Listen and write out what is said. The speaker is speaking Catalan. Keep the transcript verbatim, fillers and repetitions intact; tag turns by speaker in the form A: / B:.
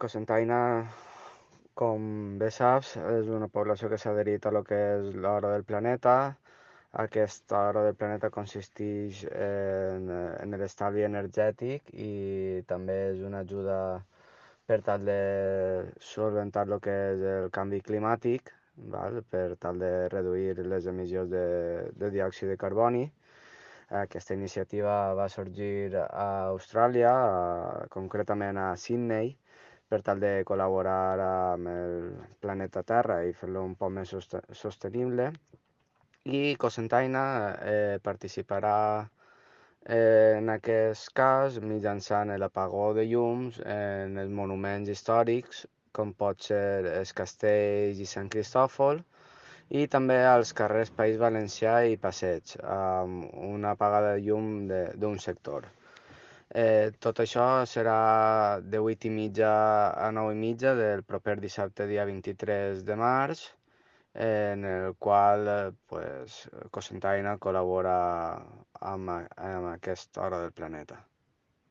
A: Cocentaina, com bé saps, és una població que s'ha adherit a lo que és l'hora del planeta. Aquesta hora del planeta consisteix en, en l'estalvi energètic i també és una ajuda per tal de solventar el que és el canvi climàtic, val? Per tal de reduir les emissions de, de diòxid de carboni. Aquesta iniciativa va sorgir a Austràlia, a, concretament a Sydney, per tal de col·laborar amb el planeta Terra i fer-lo un poc més soste- sostenible. I Cocentaina eh, participarà eh, en aquest cas mitjançant l'apagó de llums en els monuments històrics, com pot ser els castells i Sant Cristòfol, i també als carrers País Valencià i Passeig, amb una apagada de llum de- d'un sector. Eh, tot això serà de vuit i mitja a nou i mitja del proper dissabte, dia vint-i-tres de març, en el qual eh, pues, Cocentaina col·labora amb, a- amb aquesta hora del planeta.